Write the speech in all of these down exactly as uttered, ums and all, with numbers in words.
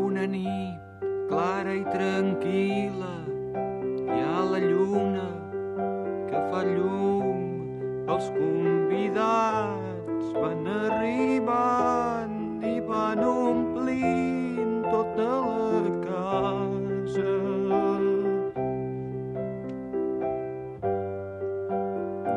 una nit clara i tranquil·la, hi ha la lluna que fa llum, els convidats van arribant i van omplint tota la casa.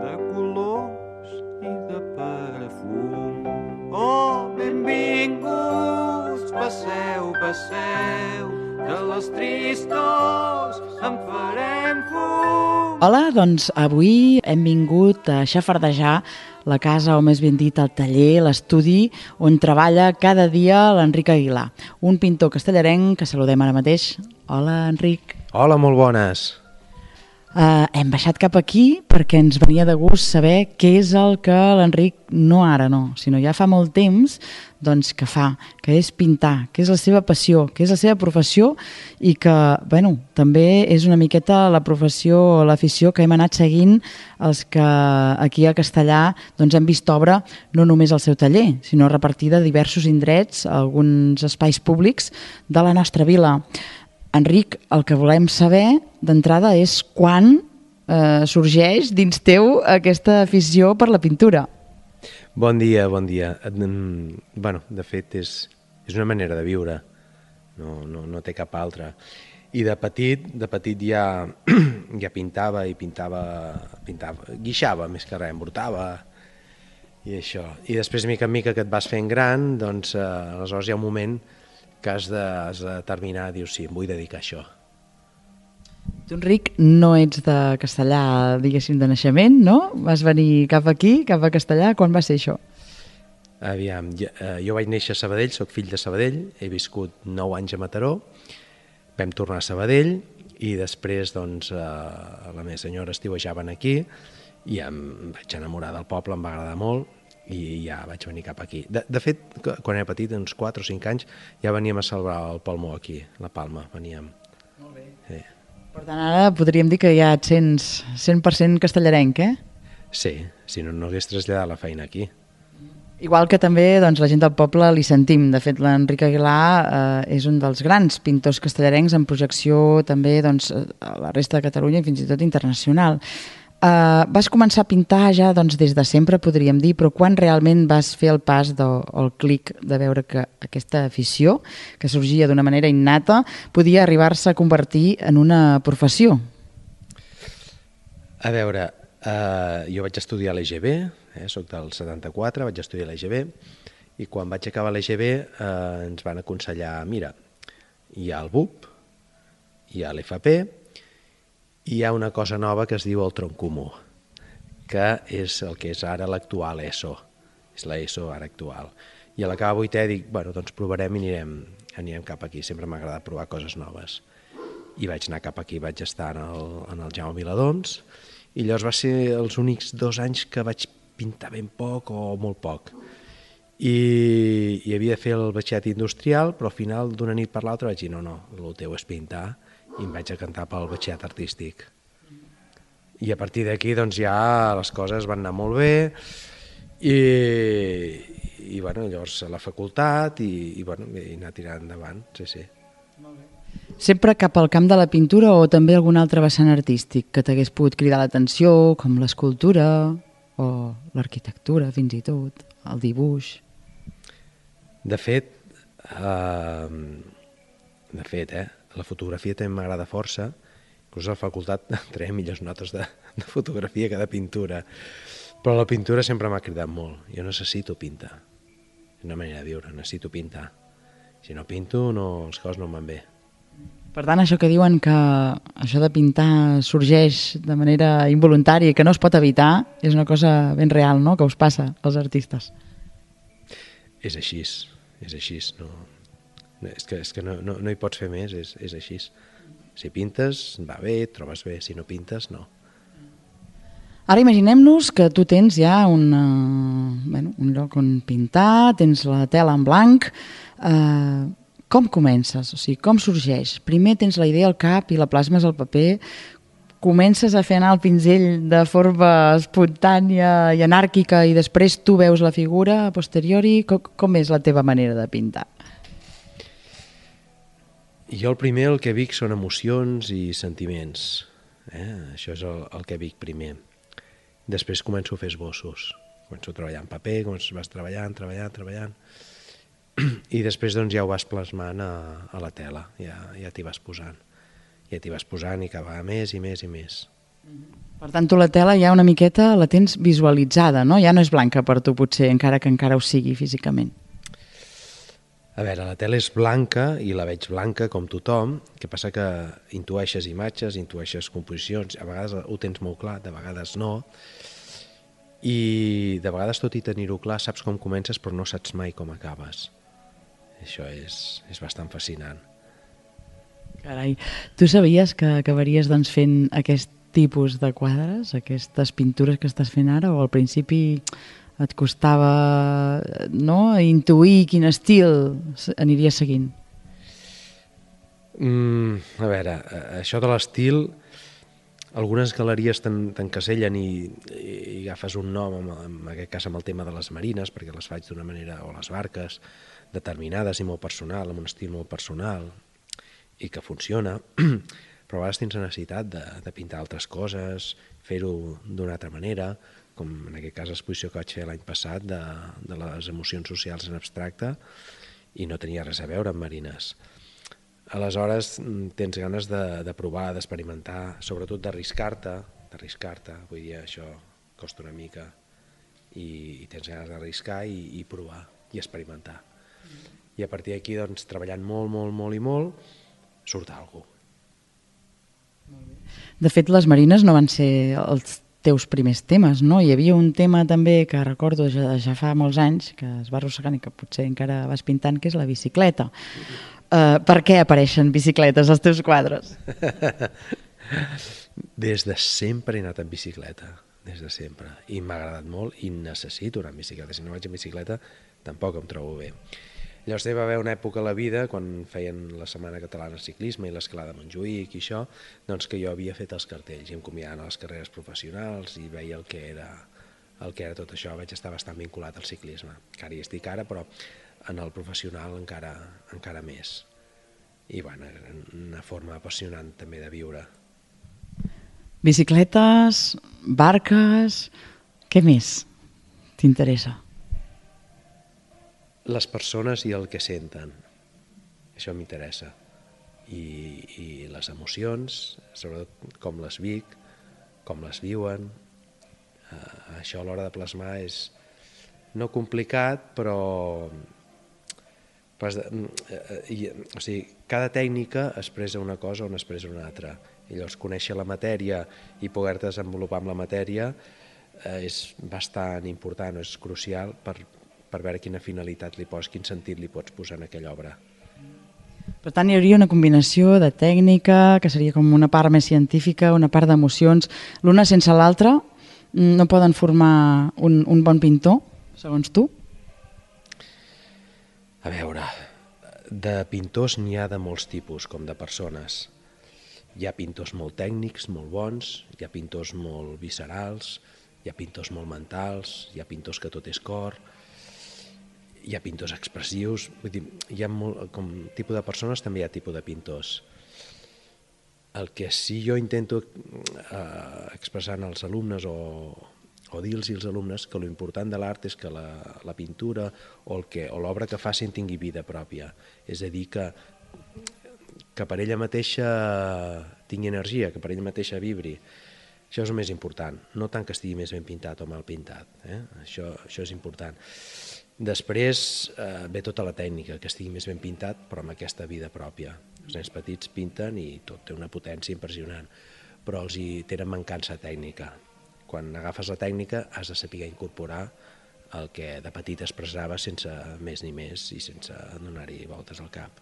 De colors i de perfum. Oh, benvinguts, passeu, passeu, de les tristors en farem fum. Hola, doncs avui hem vingut a xafardejar la casa, o més ben dit el taller, l'estudi on treballa cada dia l'Enric Aguilar, un pintor castellarenc que saludem ara mateix. Hola, Enric. Hola, molt bones. Uh, hem baixat cap aquí perquè ens venia de gust saber què és el que l'Enric, no ara no, sinó ja fa molt temps, doncs que fa, que és pintar, que és la seva passió, que és la seva professió i que, bueno, també és una miqueta la professió o l'afició que hem anat seguint els que aquí a Castellar doncs hem vist obra no només al seu taller, sinó repartida a diversos indrets, a alguns espais públics de la nostra vila. Enric, el que volem saber d'entrada és quan eh, sorgeix dins teu aquesta afició per la pintura. Bon dia, bon dia. Bueno, de fet, és, és una manera de viure, no, no, no té cap altra. I de petit, de petit ja, ja pintava i pintava, pintava, guixava més que res, embruntava i això. I després, mica en mica que et vas fent gran, doncs eh, aleshores hi ha un moment que has de, has de determinar, dius, sí, em vull dedicar a això. Tu, Enric, no ets de Castellar, diguéssim, de naixement, no? Vas venir cap aquí, cap a Castellar, quan va ser això? Aviam, jo, eh, jo vaig néixer a Sabadell, soc fill de Sabadell, he viscut nou anys a Mataró, vam tornar a Sabadell i després, doncs, eh, la meva senyora estiuejaven aquí i em vaig enamorar del poble, em va agradar molt, i ja vaig venir cap aquí. De, de fet, quan era petit, uns quatre o cinc anys, ja veníem a salvar el Palmó aquí, la Palma, veníem. Molt bé. Sí. Per tant, ara podríem dir que ja et sents cent per cent castellarenc, eh? Sí, si no, no hagués traslladat la feina aquí. Igual que també doncs, la gent del poble li sentim. De fet, l'Enric Aguilar eh, és un dels grans pintors castellarencs en projecció també doncs, a la resta de Catalunya i fins i tot internacional. Uh, vas començar a pintar ja doncs, des de sempre, podríem dir, però quan realment vas fer el pas de, o el clic de veure que aquesta afició, que sorgia d'una manera innata, podia arribar-se a convertir en una professió? A veure, uh, jo vaig estudiar a l'E G B, eh, soc del setanta-quatre, vaig estudiar a l'E G B, i quan vaig acabar l'E G B uh, ens van aconsellar, mira, hi ha el B U P, hi ha l'F P, i hi ha una cosa nova que es diu el tronc comú, que és el que és ara l'actual ESO, és la ESO ara actual. I a l'acabar vuitè dic, bueno, doncs provarem i anirem, anirem cap aquí, sempre m'ha agradat provar coses noves. I vaig anar cap aquí, vaig estar en el, en el Jaume Viladons, i llavors va ser els únics dos anys que vaig pintar ben poc o molt poc. I, i havia de fer el batxillerat industrial, però al final d'una nit per l'altra vaig dir, no, no, el teu és pintar, i em vaig a cantar pel batxillerat artístic. I a partir d'aquí doncs, ja les coses van anar molt bé i, i bueno, llavors a la facultat i, i, bueno, i anar tirant endavant, sí, sí. Molt bé. Sempre cap al camp de la pintura o també algun altre vessant artístic que t'hagués pogut cridar l'atenció, com l'escultura o l'arquitectura fins i tot, el dibuix? De fet, eh, de fet, eh, la fotografia també m'agrada força, inclús a la facultat traiem millors notes de, de fotografia que de pintura, però la pintura sempre m'ha cridat molt. Jo necessito pintar, és una manera de viure, necessito pintar. Si no pinto, no, les coses no em van bé. Per tant, això que diuen que això de pintar sorgeix de manera involuntària i que no es pot evitar, és una cosa ben real, no?, que us passa als artistes. És així, és així, no... És que, és que no, no, no hi pots fer més, és, és així. Si pintes, va bé, et trobes bé, si no pintes, no. Ara imaginem-nos que tu tens ja una, bueno, un lloc on pintar, tens la tela en blanc. Eh, com comences? O sigui, com sorgeix? Primer tens la idea al cap i la plasmes al paper, comences a fer anar el pinzell de forma espontània i anàrquica i després tu veus la figura a posteriori. Com, com és la teva manera de pintar? Jo el primer, el que vic són emocions i sentiments. Eh? Això és el, el que vic primer. Després començo a fer esbossos. Començo a treballar en paper, començo, vas treballant, treballant, treballant. I després doncs, ja ho vas plasmant a, a la tela, ja, ja t'hi vas posant. Ja t'hi vas posant i cada vegada més i més i més. Per tant, tu la tela ja una miqueta la tens visualitzada, no? Ja no és blanca per tu, potser, encara que encara ho sigui físicament. A veure, la tela és blanca i la veig blanca com tothom, que passa que intueixes imatges, intueixes composicions, a vegades ho tens molt clar, de vegades no, i de vegades tot i tenir-ho clar saps com comences però no saps mai com acabes. Això és, és bastant fascinant. Carai, tu sabies que acabaries doncs, fent aquest tipus de quadres, aquestes pintures que estàs fent ara, o al principi et costava no, intuir quin estil aniries seguint? Mm, a veure, això de l'estil, algunes galeries t'encasellen i, i agafes un nom, en aquest cas amb el tema de les marines, perquè les faig d'una manera, o les barques, determinades i molt personal, amb un estil molt personal, i que funciona, però a vegades tens la necessitat de, de pintar altres coses, fer-ho d'una altra manera, com en aquest cas l'exposició que vaig fer l'any passat de, de les emocions socials en abstracte, i no tenia res a veure amb marines. Aleshores tens ganes de, de provar, d'experimentar, sobretot d'arriscar-te, d'arriscar-te, vull dir, això costa una mica, i, i tens ganes d'arriscar i, i provar, i experimentar. I a partir d'aquí, doncs, treballant molt, molt, molt i molt, surt alguna cosa. De fet, les marines no van ser els teus primers temes, no? Hi havia un tema també que recordo ja, ja fa molts anys, que es va arrossegant i que potser encara vas pintant, que és la bicicleta. Uh, per què apareixen bicicletes als teus quadres? Des de sempre he anat en bicicleta, des de sempre. I m'ha agradat molt i necessito anar en bicicleta. Si no vaig en bicicleta tampoc em trobo bé. Llavors hi va haver una època a la vida, quan feien la Setmana Catalana de Ciclisme i l'Escalada a Montjuïc i això, doncs que jo havia fet els cartells i em convidaven a les carreres professionals i veia el que era, el que era tot això. Vaig estar bastant vinculat al ciclisme, que ara hi estic ara, però en el professional encara, encara més. I bueno, era una forma apassionant també de viure. Bicicletes, barques, què més t'interessa? Les persones i el que senten, això m'interessa, I, i les emocions, sobretot com les vic, com les viuen, uh, això a l'hora de plasmar és no complicat, però pas de, uh, i, o sigui, cada tècnica expressa una cosa o n'expressa una altra, i llavors conèixer la matèria i poder-te desenvolupar amb la matèria uh, és bastant important, és crucial per per veure quina finalitat li poses, quin sentit li pots posar en aquella obra. Per tant, hi hauria una combinació de tècnica, que seria com una part més científica, una part d'emocions. L'una sense l'altra no poden formar un, un bon pintor, segons tu? A veure, de pintors n'hi ha de molts tipus, com de persones. Hi ha pintors molt tècnics, molt bons, hi ha pintors molt viscerals, hi ha pintors molt mentals, hi ha pintors que tot és cor, hi ha pintors expressius, vull dir, hi ha molt, com tipus de persones també hi ha tipus de pintors. El que sí jo intento eh, expressar als alumnes o, o dir-los als alumnes que l'important de l'art és que la, la pintura o l'obra que facin tingui vida pròpia, és a dir, que, que per ella mateixa tingui energia, que per ella mateixa vibri. Això és el més important, no tant que estigui més ben pintat o mal pintat, eh? això, això és important. Després eh, ve tota la tècnica, que estigui més ben pintat, però amb aquesta vida pròpia. Els nens petits pinten i tot té una potència impressionant, però els hi tenen mancança tècnica. Quan agafes la tècnica has de saber incorporar el que de petit expressava sense més ni més i sense donar-hi voltes al cap.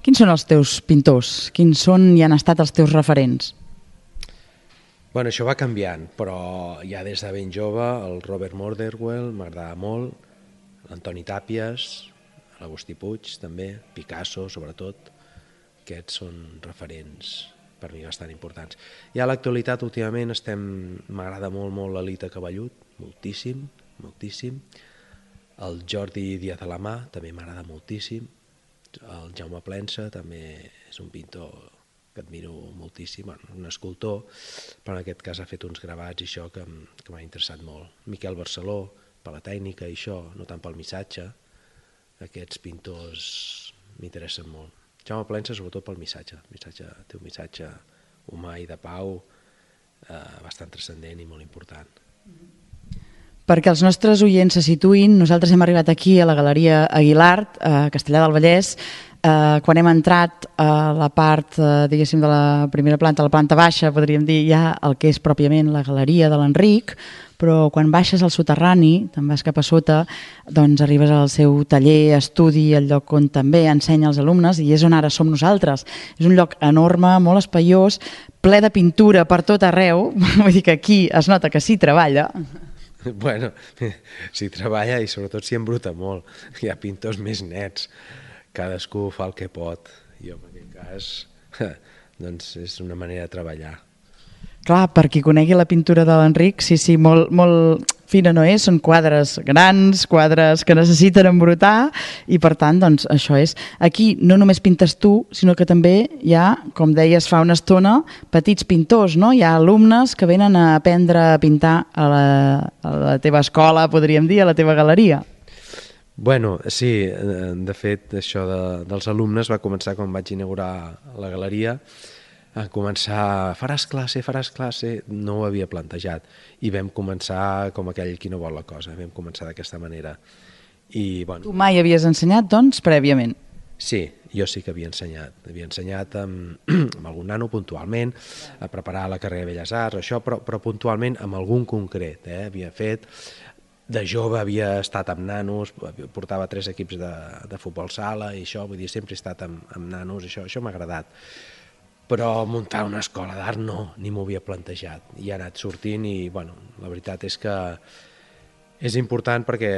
Quins són els teus pintors? Quins són i han estat els teus referents? Bueno, això va canviant, però ja des de ben jove el Robert Motherwell m'agradava molt, l'Antoni Tàpies, l'Agustí Puig també, Picasso sobretot, aquests són referents per mi bastant importants. I a l'actualitat últimament estem, m'agrada molt molt l'Elita Cavallut, moltíssim, moltíssim. El Jordi Díaz Alamà també m'agrada moltíssim, el Jaume Plensa també és un pintor que admiro moltíssim, bueno, un escultor, però en aquest cas ha fet uns gravats i això que, que m'ha interessat molt. Miquel Barceló, per la tècnica i això, no tant pel missatge, aquests pintors m'interessen molt. Jaume Plensa sobretot pel missatge, el missatge té un missatge humà i de pau eh, bastant transcendent i molt important. Perquè els nostres oients se situïn, nosaltres hem arribat aquí a la Galeria Aguilart, a Castellar del Vallès. Eh, quan hem entrat a la part, eh, diguéssim, de la primera planta, a la planta baixa, podríem dir ja el que és pròpiament la Galeria de l'Enric, però quan baixes al soterrani, te'n vas cap a sota, doncs arribes al seu taller, estudi, el lloc on també ensenya als alumnes, i és on ara som nosaltres. És un lloc enorme, molt espaiós, ple de pintura per tot arreu, vull dir que aquí es nota que s'hi treballa. Bueno, s'hi treballa i sobretot s'hi embruta molt. Hi ha pintors més nets, cadascú fa el que pot. Jo en aquest cas, doncs és una manera de treballar. Clar, per qui conegui la pintura de l'Enric, sí, sí, molt, molt fina no és, són quadres grans, quadres que necessiten embrutar, i per tant, doncs, això és. Aquí no només pintes tu, sinó que també hi ha, com deies fa una estona, petits pintors, no? Hi ha alumnes que venen a aprendre a pintar a la, a la teva escola, podríem dir, a la teva galeria. Bueno, sí, de fet, això de, dels alumnes va començar quan vaig inaugurar la galeria, a començar, faràs classe, faràs classe, no ho havia plantejat, i vam començar com aquell qui no vol la cosa, vam començar d'aquesta manera. I, bueno, tu mai havies ensenyat, doncs, prèviament? Sí, jo sí que havia ensenyat, havia ensenyat amb, amb algun nano puntualment, a preparar la carrera de Belles Arts, això, però, però puntualment amb algun concret, eh? Havia fet, de jove havia estat amb nanos, portava tres equips de, de futbol sala i això, vull dir, sempre he estat amb, amb nanos, això, això m'ha agradat. Però muntar una escola d'art no, ni m'ho havia plantejat. I ha anat sortint i, bueno, la veritat és que és important perquè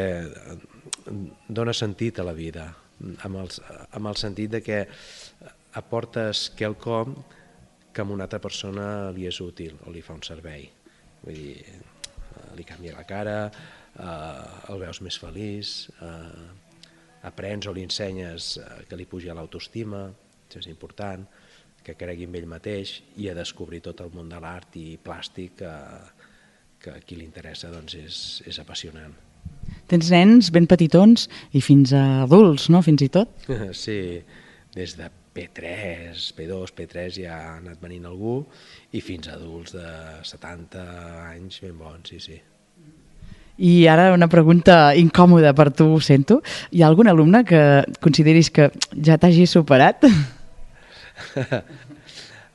dona sentit a la vida, amb el, amb el sentit de que aportes quelcom que a una altra persona li és útil o li fa un servei. Vull dir, li canvia la cara, eh, el veus més feliç, eh, aprens o li ensenyes que li pugi l'autoestima, això és important, que cregui en ell mateix i a descobrir tot el món de l'art i plàstic que, que a qui li interessa doncs és, és apassionant. Tens nens ben petitons i fins a adults, no? Fins i tot? Sí, des de P tres, P dos, P tres ja ha anat venint algú i fins a adults de setanta anys ben bons, sí, sí. I ara una pregunta incòmoda per tu, sento. Hi ha algun alumne que consideris que ja t'hagi superat?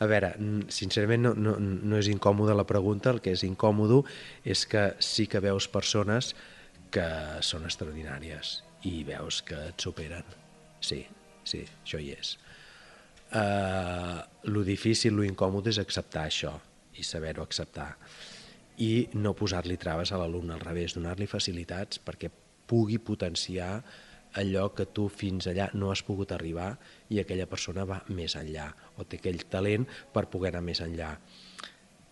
A veure, sincerament no, no, no és incòmoda la pregunta, el que és incòmodo és que sí que veus persones que són extraordinàries i veus que et superen. Sí, sí, això hi és. Uh, lo difícil, lo incòmode és acceptar això i saber-ho acceptar i no posar-li traves a l'alumne, al revés, donar-li facilitats perquè pugui potenciar allò que tu fins allà no has pogut arribar i aquella persona va més enllà o té aquell talent per poder anar més enllà.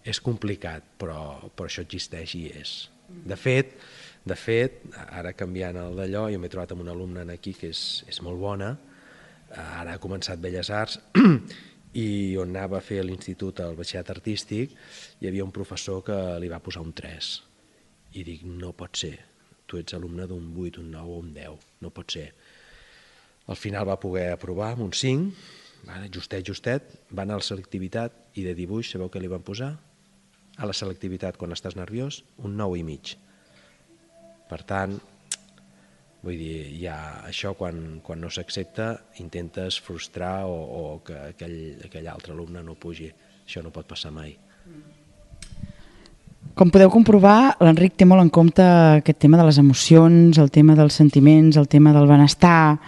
És complicat, però, però això existeix i és. De fet, de fet, ara canviant el d'allò, jo m'he trobat amb una alumna aquí que és, és molt bona, ara ha començat Belles Arts i on anava a fer a l'institut el batxillerat artístic hi havia un professor que li va posar un tres i dic, no pot ser, tu ets alumne d'un vuit, un nou o un deu, no pot ser. Al final va poder aprovar amb un cinc, justet, justet, va anar a la selectivitat i de dibuix, sabeu què li van posar? A la selectivitat, quan estàs nerviós, un nou i mig. Per tant, vull dir, ja això quan, quan no s'accepta intentes frustrar o, o que aquell, aquell altre alumne no pugi. Això no pot passar mai. Com podeu comprovar, l'Enric té molt en compte aquest tema de les emocions, el tema dels sentiments, el tema del benestar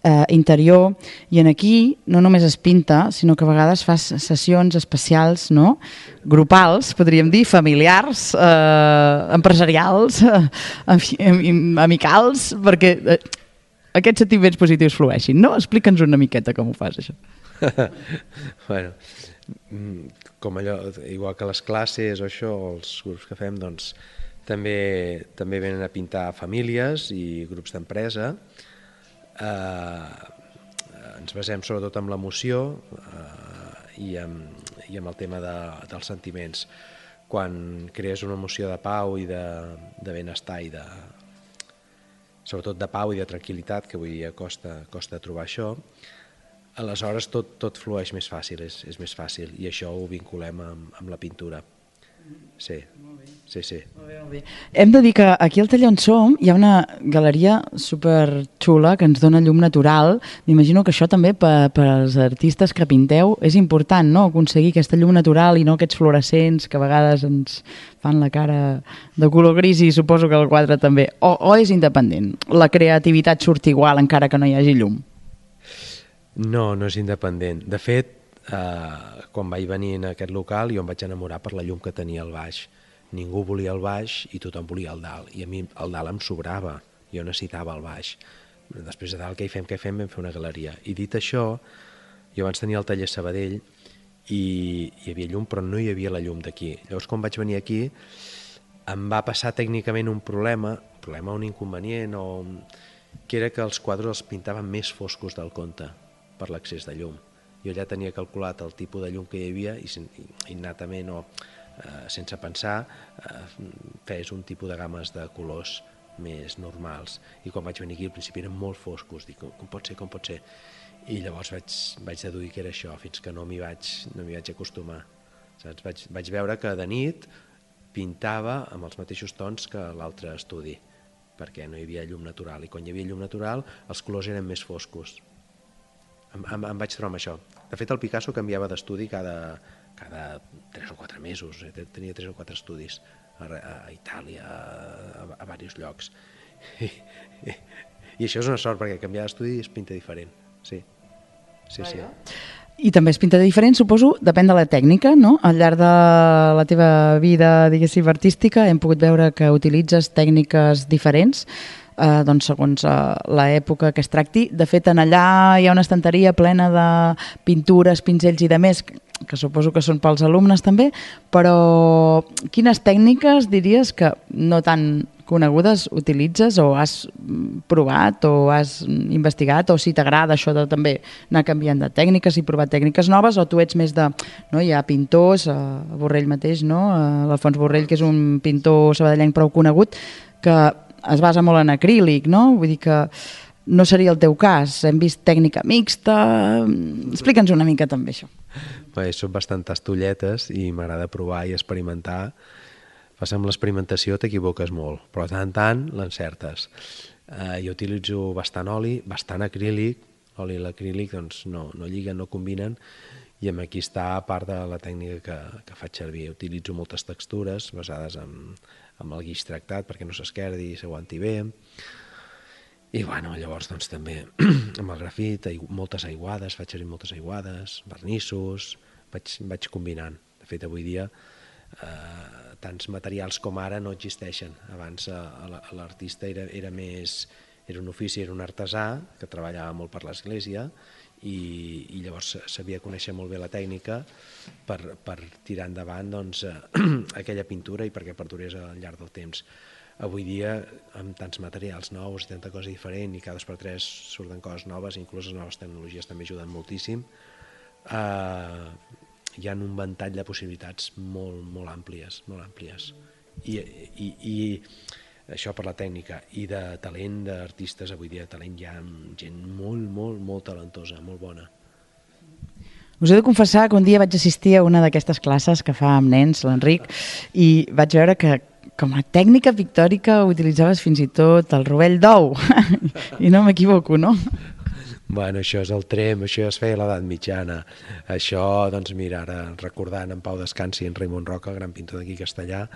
eh, interior, i en aquí no només es pinta, sinó que a vegades fas sessions especials, no? Grupals, podríem dir, familiars, eh, empresarials, eh, amicals, perquè eh, aquests sentiments positius flueixin, no? Explica'ns una miqueta com ho fas, això. Bueno, com allò, igual que les classes o això, els grups que fem, doncs també, també venen a pintar famílies i grups d'empresa. Eh, ens basem sobretot en l'emoció eh, i, amb, i amb el tema de, dels sentiments. Quan crees una emoció de pau i de, de benestar i de, sobretot de pau i de tranquil·litat, que avui dia costa, costa trobar això, aleshores tot, tot flueix més fàcil, és, és més fàcil, i això ho vinculem amb, amb la pintura. Sí, sí, sí. Molt bé, molt bé. Hem de dir que aquí al taller on som hi ha una galeria superxula que ens dona llum natural. M'imagino que això també per, per als artistes que pinteu és important, no?, aconseguir aquesta llum natural i no aquests fluorescents que a vegades ens fan la cara de color gris, i suposo que el quadre també. O, o és independent? La creativitat surt igual encara que no hi hagi llum? No, no és independent. De fet, eh, quan vaig venir en aquest local jo em vaig enamorar per la llum que tenia al baix. Ningú volia el baix i tothom volia el dalt, i a mi el dalt em sobrava, jo necessitava el baix. Després de dalt, què hi fem, què hi fem? Vam fer una galeria. I dit això, jo abans tenia el taller Sabadell i hi havia llum, però no hi havia la llum d'aquí. Llavors, quan vaig venir aquí, em va passar tècnicament un problema, un problema, un inconvenient, o... que era que els quadres els pintaven més foscos del compte per l'excés de llum. Jo ja tenia calculat el tipus de llum que hi havia i innatament o eh, sense pensar eh, fes un tipus de games de colors més normals. I quan vaig venir aquí al principi eren molt foscos, dic, com, com pot ser, com pot ser? I llavors vaig, vaig deduir que era això, fins que no m'hi vaig, no m'hi vaig acostumar. Saps? Vaig, vaig veure que de nit pintava amb els mateixos tons que l'altre estudi, perquè no hi havia llum natural, i quan hi havia llum natural els colors eren més foscos. Em, em, em vaig trobar amb això. De fet, el Picasso canviava d'estudi cada, cada tres o quatre mesos, tenia tres o quatre estudis a, a Itàlia, a, a diversos llocs. I, i, I això és una sort, perquè canviar d'estudi es pinta diferent. Sí, sí, sí. I també es pinta diferent, suposo, depèn de la tècnica, no? Al llarg de la teva vida, diguéssim, artística, hem pogut veure que utilitzes tècniques diferents, eh, doncs segons eh, l'època que es tracti. De fet, en allà hi ha una estanteria plena de pintures, pinzells i de més, que suposo que són pels alumnes també, però quines tècniques diries que no tan conegudes utilitzes o has provat o has investigat, o si t'agrada això de també anar canviant de tècniques i provar tècniques noves, o tu ets més de... No? Hi ha pintors, a Borrell mateix, no? l'Alfons Borrell, que és un pintor sabadellenc prou conegut, que es basa molt en acrílic, no? Vull dir que no seria el teu cas. Hem vist tècnica mixta... Explica'ns una mica també això. Bé, són bastantes tolletes i m'agrada provar i experimentar. Fas amb l'experimentació t'equivoques molt, però de tant en tant l'encertes. Eh, jo utilitzo bastant oli, bastant acrílic, l'oli i l'acrílic doncs no, no lliguen, no combinen, i amb aquí està part de la tècnica que, que faig servir. Utilitzo moltes textures basades en, en el guix tractat perquè no s'esquerdi i s'aguanti bé. I bueno, llavors doncs també amb el grafit, moltes aiguades, faig servir moltes aiguades, vernissos, vaig, vaig combinant. De fet, avui dia eh, tants materials com ara no existeixen. Abans eh, l'artista era, era més, era un ofici, era un artesà que treballava molt per l'església i, i llavors sabia conèixer molt bé la tècnica per, per tirar endavant doncs, eh, aquella pintura i perquè perdurés al llarg del temps. Avui dia, amb tants materials nous i tanta cosa diferent i cada dos per tres surten coses noves, inclús les noves tecnologies també ajuden moltíssim, eh, hi ha un ventall de possibilitats molt, molt àmplies, molt àmplies. I, i, i això per la tècnica. I de talent d'artistes, avui dia de talent hi ha gent molt, molt, molt talentosa, molt bona. Us he de confessar que un dia vaig assistir a una d'aquestes classes que fa amb nens, l'Enric, i vaig veure que com a tècnica pictòrica utilitzaves fins i tot el rovell d'ou. I no m'equivoco, no? Bueno, això és el trem, això ja es feia a l'edat mitjana. Això, doncs mira, ara recordant en Pau Descansi i en Raimon Roca, el gran pintor d'aquí castellà,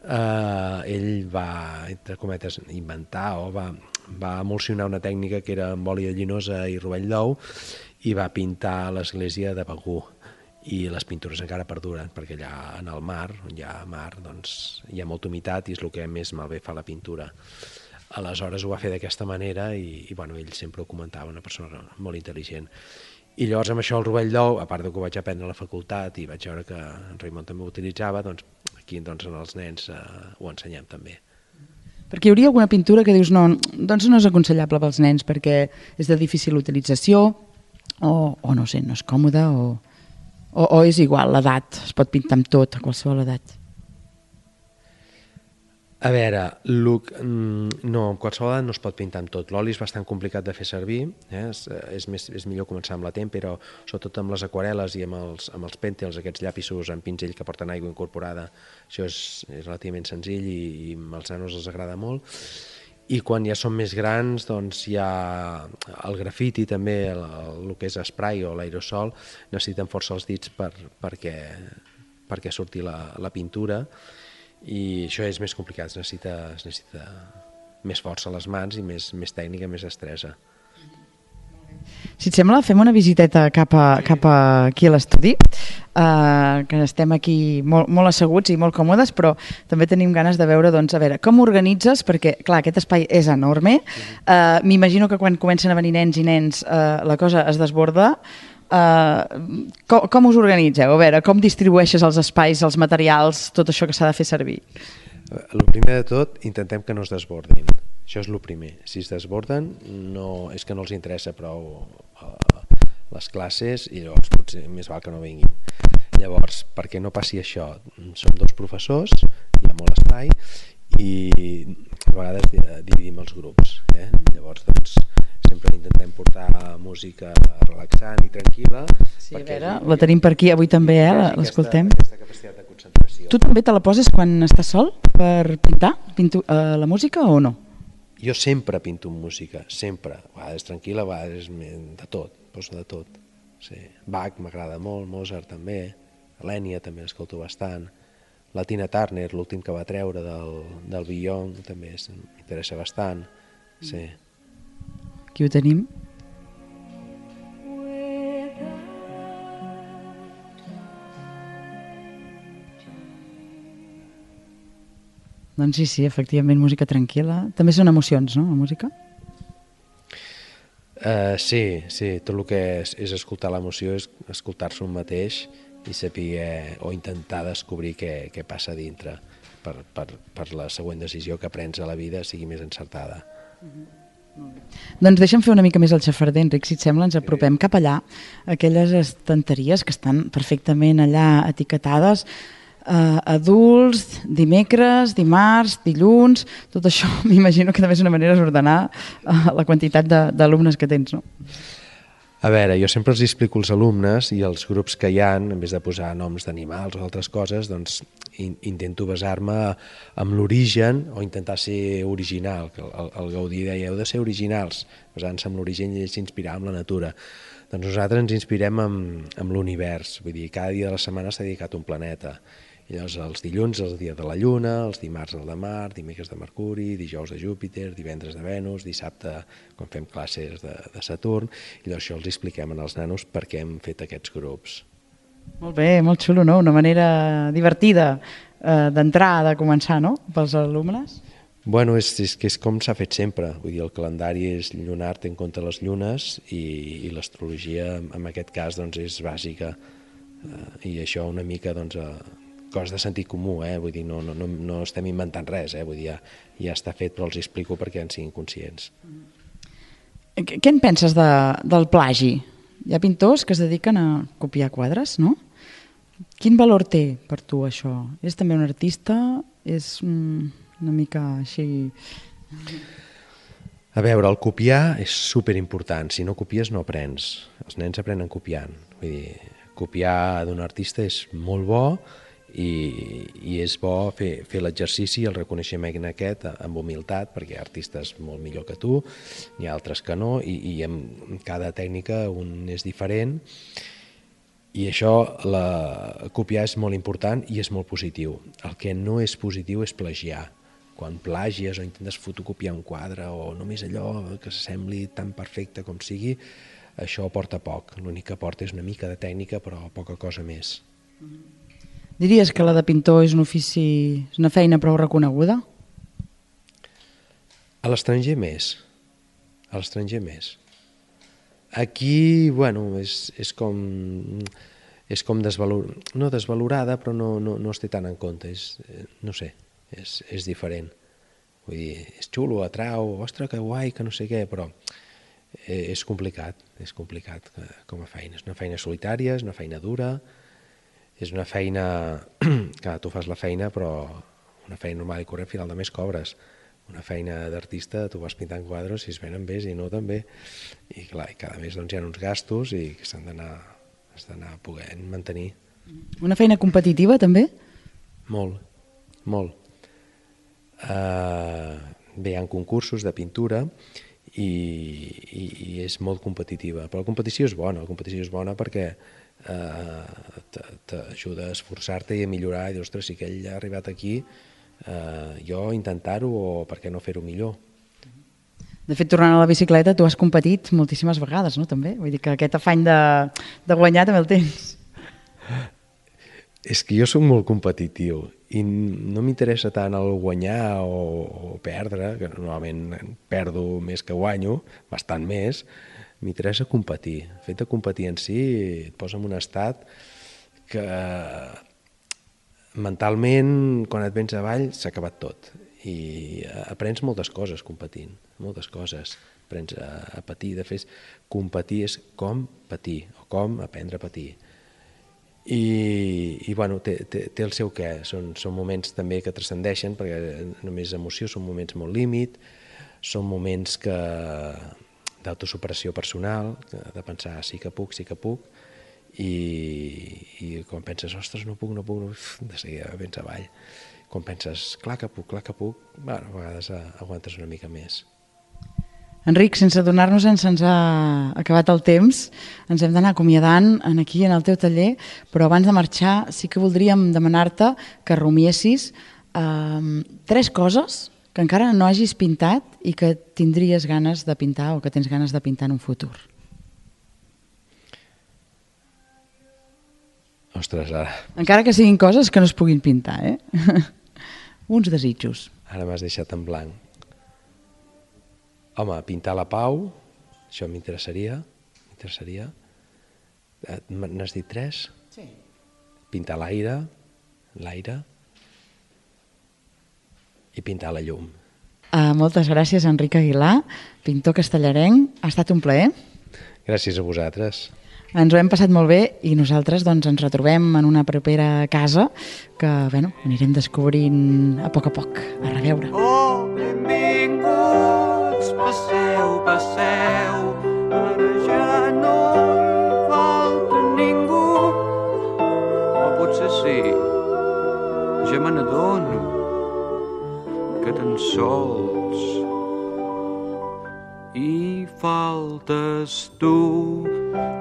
eh, ell va, entre cometes, inventar o va, va emulsionar una tècnica que era amb oli de llinosa i rovell d'ou i va pintar l'església de Begur. I les pintures encara perduren, perquè allà en el mar, on hi ha mar, doncs hi ha molta humitat i és el que més malbé fa la pintura. Aleshores ho va fer d'aquesta manera i, i bueno, ell sempre ho comentava, una persona molt intel·ligent. I llavors amb això el rovell d'ou, a part que ho vaig aprendre a la facultat i vaig veure que en Raimon també ho utilitzava, doncs aquí doncs, en els nens eh, ho ensenyem també. Perquè hi hauria alguna pintura que dius no, doncs no és aconsellable pels nens perquè és de difícil utilització o, o no sé, no és còmode o, o, o és igual, l'edat, es pot pintar amb tot a qualsevol edat. A veure, Luc, no, amb qualsevol edat no es pot pintar amb tot. L'oli és bastant complicat de fer servir, eh? és, és, més, és millor començar amb la tèmpera, sobretot amb les aquarel·les i amb els, amb els pèntils, aquests llapisos amb pinzell que porten aigua incorporada. Això és, és relativament senzill i, i als nanos els agrada molt. I quan ja són més grans, doncs hi ha el grafiti també, el, el que és spray o l'aerosol, necessiten força els dits per, perquè, perquè surti la, la pintura, i això és més complicat, es necessita, es necessita més força a les mans i més, més tècnica, més destresa. Si et sembla, fem una visiteta cap, a, cap a aquí a l'estudi, uh, que estem aquí molt, molt asseguts i molt còmodes, però també tenim ganes de veure, doncs, a veure, com organitzes, perquè, clar, aquest espai és enorme, uh, m'imagino que quan comencen a venir nens i nens uh, la cosa es desborda. Uh, com, com us organitzeu? A veure, com distribueixes els espais, els materials, tot això que s'ha de fer servir? El primer de tot, intentem que no es desbordin. Això és el primer. Si es desborden, no, és que no els interessa prou uh, les classes i llavors potser més val que no vinguin. Llavors, perquè no passi això, som dos professors, hi ha molt espai i a vegades dividim els grups. Eh? Llavors, doncs, sempre intentem portar música relaxant i tranquil·la. Sí, a veure, la tenim per aquí avui també, eh? L'escoltem. Aquesta capacitat de concentració. Tu també te la poses quan estàs sol per pintar pinto, uh, la música o no? Jo sempre pinto amb música, sempre. A vegades tranquil·la, a vegades de tot, poso de tot. Sí. Bach m'agrada molt, Mozart també, l'Ènia també l'escolto bastant, la Tina Turner, l'últim que va treure del, del Beyond, també m'interessa bastant. Sí. Aquí ho tenim. Doncs sí, sí, efectivament, música tranquil·la. També són emocions, no, la música? Uh, sí, sí, tot el que és, és escoltar l'emoció és escoltar-se un mateix i saber o intentar descobrir què, què passa dintre per, per, per la següent decisió que prens a la vida sigui més encertada. Mm-hmm. Doncs deixa'm fer una mica més el xafarder, Enric, si et sembla, ens apropem cap allà, aquelles estanteries que estan perfectament allà etiquetades, eh, adults, dimecres, dimarts, dilluns, tot això m'imagino que també és una manera d'ordenar eh, la quantitat d'alumnes que tens, no? A veure, jo sempre els explico als alumnes i als grups que hi ha, en vez de posar noms d'animals o altres coses, doncs in, intento basar-me en l'origen o intentar ser original. El, el, el Gaudí deia, heu de ser originals, basant-se en l'origen i s'inspirar en la natura. Doncs nosaltres ens inspirem en, en l'univers, vull dir, cada dia de la setmana s'ha dedicat un planeta. I llavors els dilluns és el dia de la Lluna, els dimarts el de Mart, dimecres de Mercuri, dijous de Júpiter, divendres de Venus, dissabte quan fem classes de, de Saturn, i llavors això els expliquem als nanos per què hem fet aquests grups. Molt bé, molt xulo, no? Una manera divertida eh, d'entrar, de començar, no?, pels alumnes. Bueno, és, és que és com s'ha fet sempre, vull dir, el calendari és lunar, té en compte les llunes i, i l'astrologia en aquest cas doncs, és bàsica eh, i això una mica doncs, eh, cos de sentit comú, eh? Vull dir, no, no, no, no estem inventant res, eh? Vull dir, ja, ja està fet, però els explico perquè en siguin conscients. Què en penses de, del plagi? Hi ha pintors que es dediquen a copiar quadres, no? Quin valor té per tu això? És també un artista? És mm, una mica així... A veure, el copiar és superimportant. Si no copies no aprens. Els nens aprenen copiant. Vull dir, copiar d'un artista és molt bo, I, i és bo fer, fer l'exercici i el reconeixement aquest amb humilitat, perquè hi ha artistes molt millor que tu, n'hi ha altres que no, i, i amb cada tècnica un és diferent, i això, la, copiar és molt important i és molt positiu. El que no és positiu és plagiar. Quan plagies o intentes fotocopiar un quadre o només allò que s'assembli tan perfecte com sigui, això porta poc. L'únic que porta és una mica de tècnica, però poca cosa més. Diries que la de pintor és un ofici, és una feina prou reconeguda? A l'estranger més. A l'estranger més. Aquí, bueno, és, és com, és com desvalor, no desvalorada, però no, no, no es té tant en compte. És, no sé, és, és diferent. Vull dir, és xulo, atrau, ostres, que guai, que no sé què, però és complicat, és complicat com a feina. És una feina solitària, és una feina dura, és una feina que tu fas la feina, però una feina normal i corrent, al final de mes cobres. Una feina d'artista, tu vas pintant quadres, si es venen bé, si no també. I clar, i cada mes doncs, hi ha uns gastos i que s'han d'anar has d'anar podent mantenir. Una feina competitiva també? Molt, molt. Uh, bé, hi ha concursos de pintura i, i, i és molt competitiva, però la competició és bona, la competició és bona perquè uh, t'ajuda a esforçar-te i a millorar, i dir, ostres, si aquell ha arribat aquí, uh, jo intentar-ho o per què no fer-ho millor. De fet, tornant a la bicicleta, tu has competit moltíssimes vegades, no? També? Vull dir que aquest afany de, de guanyar també el tens. És que jo soc molt competitiu i no m'interessa tant el guanyar o, o perdre, que normalment perdo més que guanyo, bastant més, m'interessa competir. El fet de competir en si et posa en un estat que mentalment, quan et vens avall, s'ha acabat tot. I aprens moltes coses competint, moltes coses. Aprens a, a patir, de fet, competir és com patir, o com aprendre a patir. I, i bueno, té, té, té el seu què, són, són moments també que transcendeixen, perquè només emoció, són moments molt límit, són moments que d'autosuperació personal, de pensar sí que puc, sí que puc, i, i quan penses, ostres, no puc, no puc, no puc, de seguida vens avall. Quan penses, clar que puc, clar que puc, bueno, a vegades aguantes una mica més. Enric, sense adonar-nos-en se'ns ha acabat el temps, ens hem d'anar acomiadant aquí en el teu taller, però abans de marxar sí que voldríem demanar-te que rumiessis eh, tres coses que encara no hagis pintat i que tindries ganes de pintar o que tens ganes de pintar en un futur. Ostres, ara... Encara que siguin coses que no es puguin pintar, eh? Uns desitjos. Ara m'has deixat en blanc. Home, pintar la pau, això m'interessaria, m'interessaria. N'has dit tres? Sí. Pintar l'aire, l'aire, i pintar la llum. Uh, moltes gràcies, Enric Aguilar, pintor castellarenc. Ha estat un plaer. Gràcies a vosaltres. Ens ho hem passat molt bé i nosaltres doncs, ens retrobem en una propera casa que bueno, anirem descobrint a poc a poc. A reveure. Oh, benvinguts, passeu, passeu, ara ja no hi falta ningú. O potser sí, ja me n'adono que tan sols hi faltes tu.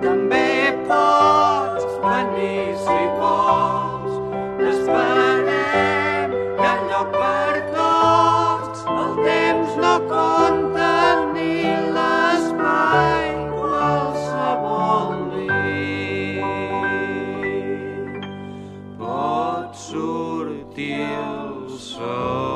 També pots venir si vols, t'esperem, hi ha lloc per tots, el temps no compta ni l'espai, qualsevol nit pot sortir el sol.